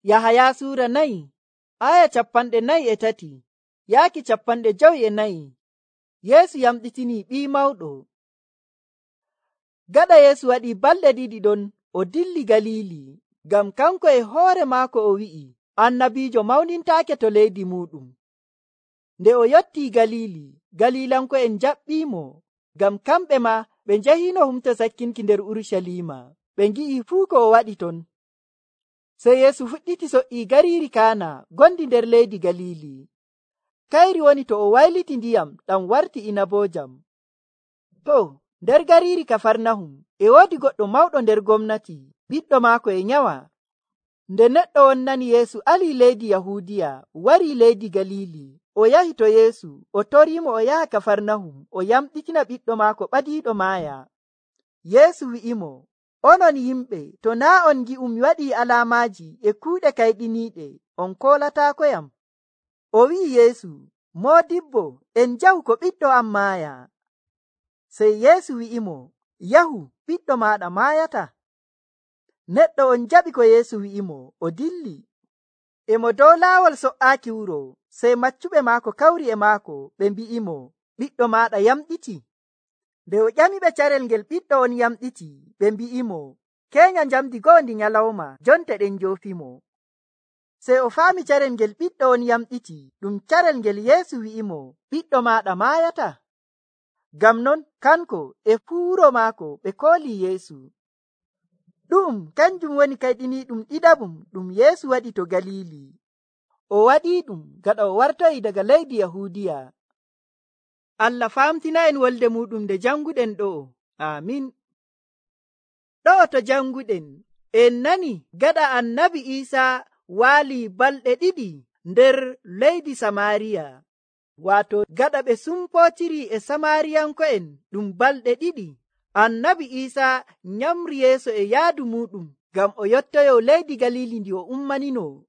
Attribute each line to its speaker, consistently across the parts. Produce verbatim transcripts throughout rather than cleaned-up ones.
Speaker 1: Yahaya suura nayi aya capanɗe nayi e tati yaaki capanɗe jowi e nayi. Yeesu yamɗitini ɓii mawɗo. Gaɗa Yeesu waɗi balɗe ɗiɗi ɗon o dilli Galili, ngam kanko e hoore maako o wi'i annabiijo mawnintaake to leydi muɗum. Nde o yottii Galili, Galilanko'en njaɓɓiimo, ngam kamɓe ma ɓe njahiino humto sakkinki nder Urucaliima, ɓe ngi'i fuu ko o waɗi ton. Sey Yeesu fuɗɗiti so''ii gariiri Kaana gondi nder leydi Galili. Kayri woni to o wayliti ndiyam ɗam warti inaboojam. To, nder gariiri Kafarnahum e woodi goɗɗo mawɗo nder gomnati, ɓiɗɗo maako e nyawa. Nde neɗɗo on nani Yeesu alii leydi Yahuudiya, warii leydi Galili, o yahi to Yeesu, o toriimo o yaha Kafarnahum o yamɗitina ɓiɗɗo maako ɓadiiɗo maaya. Yeesu wi'imo, onon yimɓe, to naa' on ngi'u mi waɗii alaamaaji e kuuɗe kayɗiniiɗe, on koolataakooyam. O wi'i Yeesu, moodibbo, en njahu ko ɓiɗɗo am maaya. Sey Yeesu wi'imo, yahu, ɓiɗɗo maaɗa maayata. Neɗɗo on jaɓi ko Yeesu wi'imo, o dilli. E mo dow laawol so''aaki wuro, sey maccuɓe maako kawri e maako, ɓe mbi'imo, ɓiɗɗo maaɗa yamɗiti. Nde o ƴamiɓe carel ngel ɓiɗɗo on yamɗiti, ɓe mbi'imo, keenya njamdi go'o ndi nyalawma, jonte ɗen njoofimo. Sey o faami carel ngel ɓiɗɗo on yamɗiti ɗum carel ngel Yeesu wi'imo, ɓiɗɗo maaɗa maayata. Ngam non kanko e fuu wuro maako ɓe koolii Yeesu. Ɗum kanjum woni kayɗiniiɗum ɗiɗaɓum ɗum Yeesu waɗi to Galili. O waɗiiɗum gaɗa o wartoyi daga leydi Yahuudiya. Allah faamtina en wolde muɗum nde janguɗen ɗo'o. Amin. Ɗo'o to janguɗen en nani gaɗa annabi Iisaa waalii balɗe ɗiɗi nder leydi Samaariya, waato gaɗa ɓe sumpootiri e Samaariyanko'en ɗum balɗe ɗiɗi. Annabi Iisaa nyamri yeeso e yaadu muɗum ngam o yottoyo leydi Galili ndi o ummanino.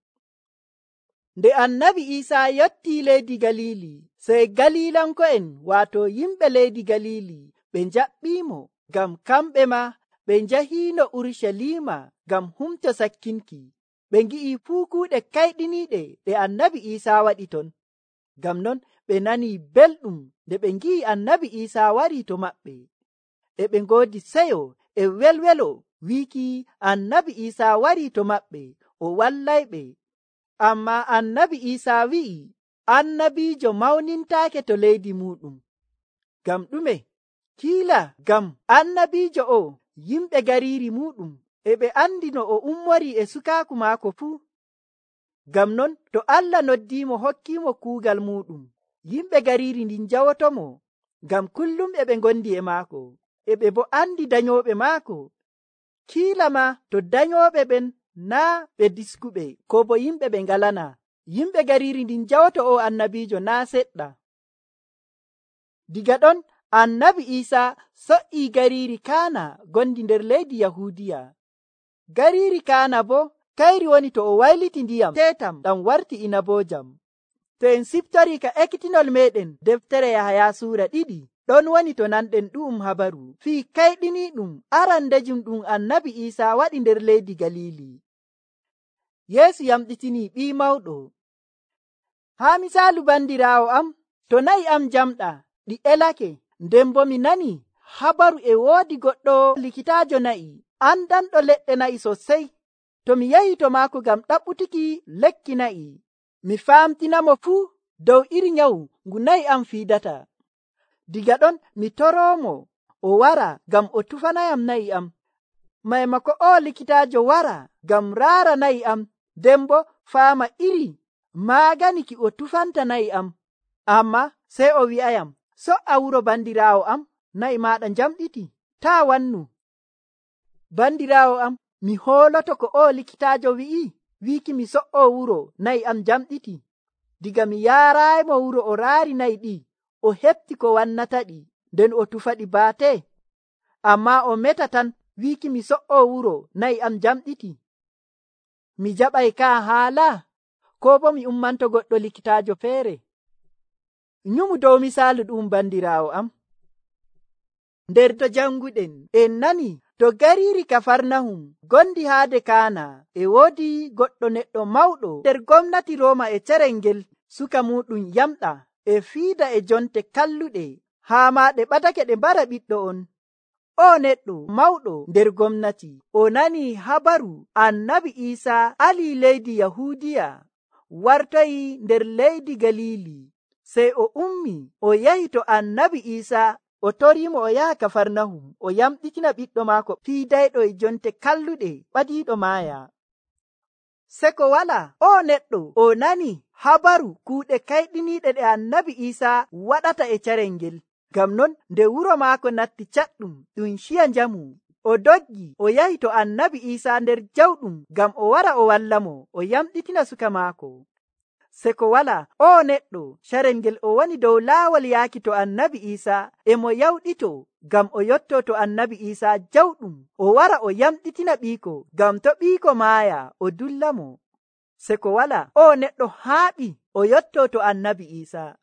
Speaker 1: Nde annabi Iisaa yottii leydi Galili, sey Galilanko'en waato yimɓe leydi Galili ɓe njaɓɓiimo, ngam kamɓe ma ɓe njahiino Urucaliima ngam humto sakkinki. Ɓe ngi'i fuu kuuɗe kayɗiniiɗe ɗe annabi Iisaa waɗi ton. Ngam non ɓe nanii belɗum nde ɓe ngi'i annabi Iisaa warii to maɓɓe. E ɓe ngoodi seyo e welwelo wiiki annabi Iisaa warii to maɓɓe o wallayɓe. Ammaa annabi Iisaa wi'i annabiijo mawnintaake to leydi muɗum. Ngam ɗume? Kiila ngam annabiijo o yimɓe gariiri muɗum e ɓe andi no o ummorii e sukaaku maako fuu. Ngam non to Allah noddiimo hokkiimo kuugal muɗum, yimɓe gariiri ndin njawotomo, ngam kullum e ɓe ngondi e maako, e ɓe bo andi danyooɓe maako. Kiila ma to danyooɓe ɓen naa ɓe diskuɓe ko bo yimɓe ɓe ngalana, yimɓe gariiri ndin njawoto o annabiijo naa seɗɗa. Diga ɗon annabi Iisaa so''ii gariiri Kaana gondi nder leydi Yahuudiya. Gariiri Kaana bo kayri woni to o wayliti ndiyam teetam ɗam warti inaboojam. To en siftorii ka ekkitinol meɗen deftere Yahaya suura ɗiɗi, ɗon woni to nanɗen ɗu'um habaru fii kayɗiniiɗum arandejum ɗum annabi Iisaa waɗi nder leydi Galili. Yeesu yamɗitini ɓii mawɗo. Haa misaalu bandiraawo am, to na'i am jamɗa ɗi elake, nden bo mi nani habaru e woodi goɗɗo likitaajo na'i andanɗo leɗɗe na'i sosey. To mi yahi to maako ngam ɗaɓɓutuki lekki na'i, mi faamtinamo fuu dow iri nyawu ngu na'i am fiidata. Diga ɗon mi toroomo o wara ngam o tufanayam na'i am. Maymako o likitaajo wara ngam raara na'i am, nden bo faama iri maagani ki o tufanta na'i am. Amma sey o wi'ayam, so''a wuro bandiraawo am, na'i maaɗa njamɗiti, taa wannu. Bandiraawo am, mi hooloto ko o likitaajo wi'i, wiiki mi so''o wuro na'i am njamɗiti. Diga mi yaaraaymo wuro o raari na'i ɗi, o heɓti ko wannata ɗi, nden o tufaɗi baate. Amma o meta tan wiiki mi so''o wuro na'i am njamɗiti. Mi jaɓay ka haala, ko bo mi ummanto goɗɗo likitaajo feere. Nyumu dow misaalu ɗum bandiraawo am. Nder to janguɗen en nani To gariiri Kafarnahum gondi haade Kaana e woodi goɗɗo neɗɗo mawɗo nder gomnati Rooma e carel ngel suka muɗum yamɗa e fiida e jonte kalluɗe haa maa ɗe ɓadake ɗe mbara ɓiɗɗo on. O neɗɗo mawɗo nder gomnati o nani habaru annabi Iisaa alii leydi Yahuudiya wartoyi nder leydi Galiili. Sey o ummi o yahi to annabi Iisaa o toriimo o yaha Kafarnahum o yamɗitina ɓiɗɗo maako fiidayɗo e jonte kalluɗe ɓadiiɗo maaya. Seko wala o neɗɗo o nani habaru kuuɗe kayɗiniiɗe ɗe annabi Iisaa waɗata e carel ngel. Ngam non nde wuro maako natti caɗɗum ɗum ciya njamu, o doggi o yahi to annabi Iisaa nder jawɗum ngam o wara o wallamo o yamɗitina suka maako. Seko wala o neɗɗo carel ngel o woni dow laawol yaaki to annabi Iisaa e mo yawɗito ngam o yotto to annabi Iisaa jawɗum o wara o yamɗitina ɓiiko ngam to ɓiiko maaya o dullamo. Seko wala o neɗɗo haaɓi o yotto to annabi Iisaa.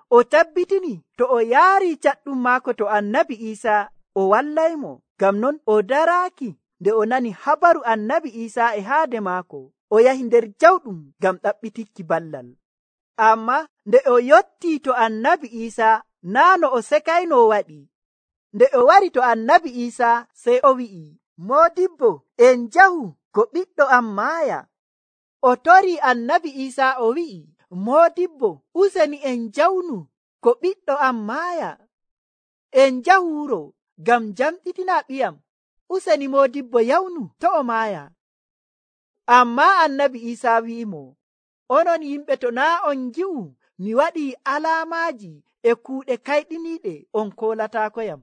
Speaker 1: O tabbitini to o yaari caɗɗum maako to annabi Iisaa o wallaymo. Ngam non o daraaki nde o nani habaru annabi Iisaa e haade maako. O yahi nder jawɗum ngam ɗaɓɓitikki ballal. Amma nde o yottii to annabi Iisaa naa no o sekayno waɗi. Nde o wari to annabi Iisaa sey o wi'i, Moodibbo, en njahu ko ɓiɗɗo am maaya. O torii annabi Iisaa o wi'i, Moodibbo, useni en njawnu ko ɓiɗɗo am maaya. En njahu wuro ngam jamɗitina ɓiyam. Useni Moodibbo yawnu to o maaya. Ammaa annabi Iisaa wi'imo, onon yimɓe to naa on ngi'u mi waɗii alaamaaji e kuuɗe kayɗiniiɗe on koolataako yam.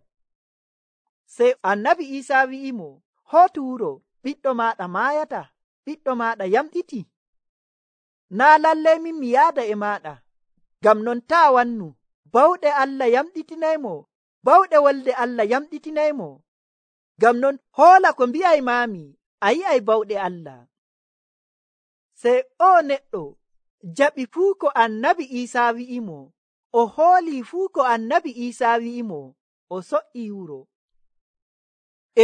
Speaker 1: Sey annabi Iisaa wi'imo, hootu wuro, ɓiɗɗo maaɗa maayata, ɓiɗɗo maaɗa yamɗiti. Naa lallay min mi yaada e maaɗa. Ngam non taa wannu, bawɗe Allah yamɗitinaymo, bawɗe wolde Allah yamɗitinaymo. Ngam non hoola ko mbi'aymaami, a yi'ay bawɗe Allah. Sey o neɗɗo jaɓi fuu ko annabi Iisaa wi'imo, o hoolii fuu ko annabi Iisaa wi'imo, o so'ii wuro.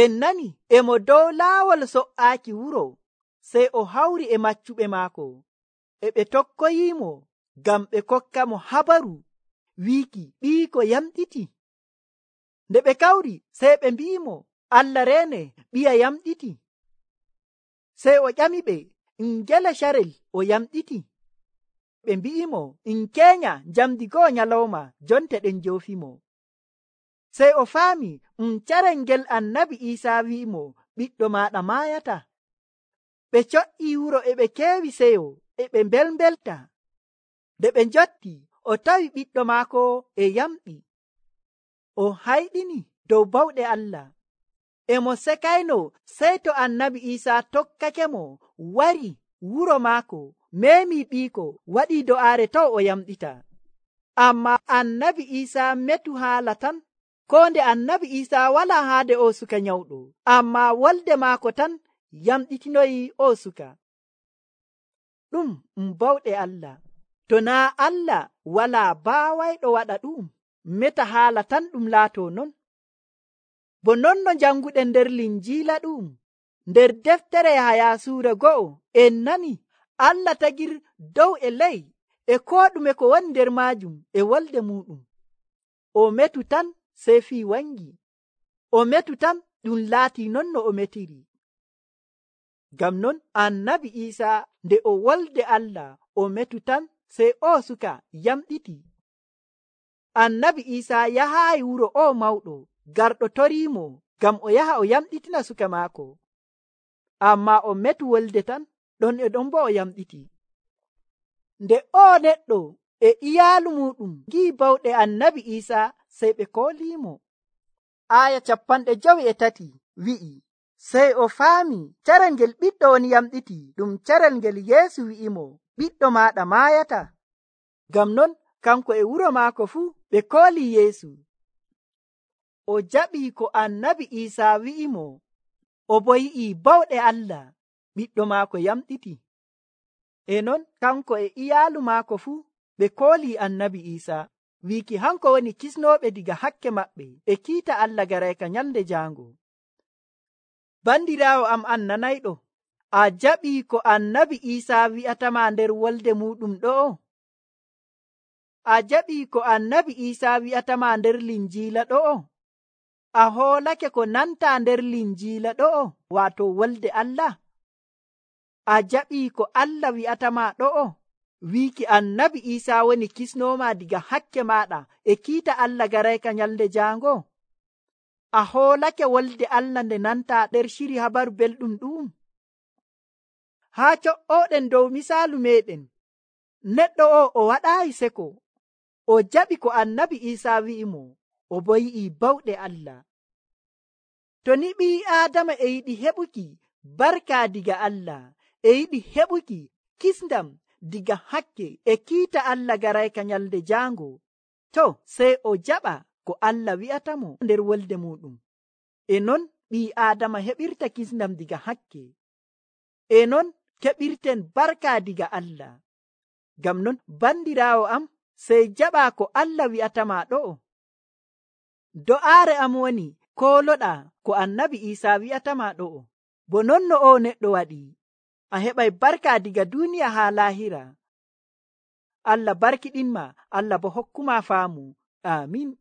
Speaker 1: En nani emo dow laawol so'aaki wuro, sey o hawri e maccuɓe maako, e ɓe tokkoyiimo ngam ɓe kokka mo habaru wiiki ɓiiko yamɗiti. Nde ɓe kawri sey ɓe mbi'imo, Allah reene ɓiya yamɗiti. Sey o ƴamiɓe, ngele carel o yamɗiti? Ɓe mbi'imo, in keenya njamdi go'o nyalawma jonte ɗen njoofimo. Sey o faami um carel ngel annabi Iisaa wi'imo, ɓiɗɗo maaɗa maayata. Ɓe co'ii wuro e ɓe keewi seyo e ɓe mbelmbelta. Nde ɓe njotti o tawi ɓiɗɗo maako e yamɗi. O hayɗini dow bawɗe Allah. Emo sekayno sey to annabi Iisaa tokkakemo wari wuro maako meemi ɓiiko waɗii do'aare taw o yamɗita. Amma annabi Iisaa metu haala tan. Ko nde annabi Iisaa walaa haade o suka nyawɗo, amma wolde maako tan yamɗitinoyi o suka. Ɗum um bawɗe Allah. To naa Allah walaa baawayɗo waɗa ɗum, meta haala tan ɗum laato non. Bo non no janguɗen nder Linjiila ɗum, nder deftere Yahaya suura go'o, en nani Allah tagir dow e ley e koo ɗume ko woni nder maajum e wolde muɗum. O metu tan sey fii wangi. O metu tan ɗum laatii non no o metiri. Ngam non annabi Iisaa nde o wolde Allah o metu tan sey o suka yamɗiti. Annabi Iisaa yahaayi wuro o mawɗo garɗo toriimo ngam o yaha o yamɗitina suka maako. Amma o metu wolde tan ɗon e ɗon bo o yamɗiti. Nde o neɗɗo e iyaalu muɗum ngi'i bawɗe annabi Iisaa sey ɓe kooliimo. Aya capanɗe jowi e tati wi'i, sey o faami carel ngel ɓiɗɗo on yamɗiti ɗum carel ngel Yeesu wi'imo, ɓiɗɗo maaɗa maayata. Ngam non kanko e wuro maako fuu ɓe kooli Yeesu. O jaɓii ko annabi Iisaa wi'imo, o bo yi'i bawɗe Allah, ɓiɗɗo maako yamɗiti. E non kanko e iyaalu maako fuu ɓe kooli annabi Iisaa, wiiki hanko woni kisnooɓe diga hakke maɓɓe e kiita Allah garayka nyalde jaango. Bandiraawo am an nanayɗo, a jaɓi ko annabi Iisaa wi'atama nder wolde muɗum ɗo'o? A jaɓi ko annabi Iisaa wi'atama nder linjiila ɗo'o? A hoolake ko nanta nder linjiila ɗo'o, waato wolde Allah? A jaɓi ko Allah wi'atama ɗo'o? Wiiki annabi Iisaa woni kisnooma diga hakke maɗa e kiita Allah garayka nyalde jaango? A hoolake wolde Allah nde nanta nder shiri habaru belɗum ɗum? Haa co'oɗen dow misaalu meɗen, neɗɗo o o waɗaayi seko, o jaɓi ko annabi Iisaa wi'imo, o bo yi'i bawɗe Allah. To ni ɓii Aadama e yiɗi heɓuki barka diga Allah, e yiɗi heɓuki kisndam diga hakke e kiita Allah garayka nyalde jaango, to sey o jaɓa ko Allah wi'atamo nder wolde muɗum. E non ɓii Aadama heɓirta kisndam diga hakke. E non keɓirten barka diga Allah. Ngam non bandiraawo am, sey jaɓa ko Allah wi'atama ɗo'o. Do'aare am woni kooloɗa ko annabi Iisaa wi'atama ɗo'o. Bo non no o neɗɗo waɗi, a heɓay barka diga duniya haa laahira. Allah barkiɗinma, Allah bo hokkuma faamu. Amin.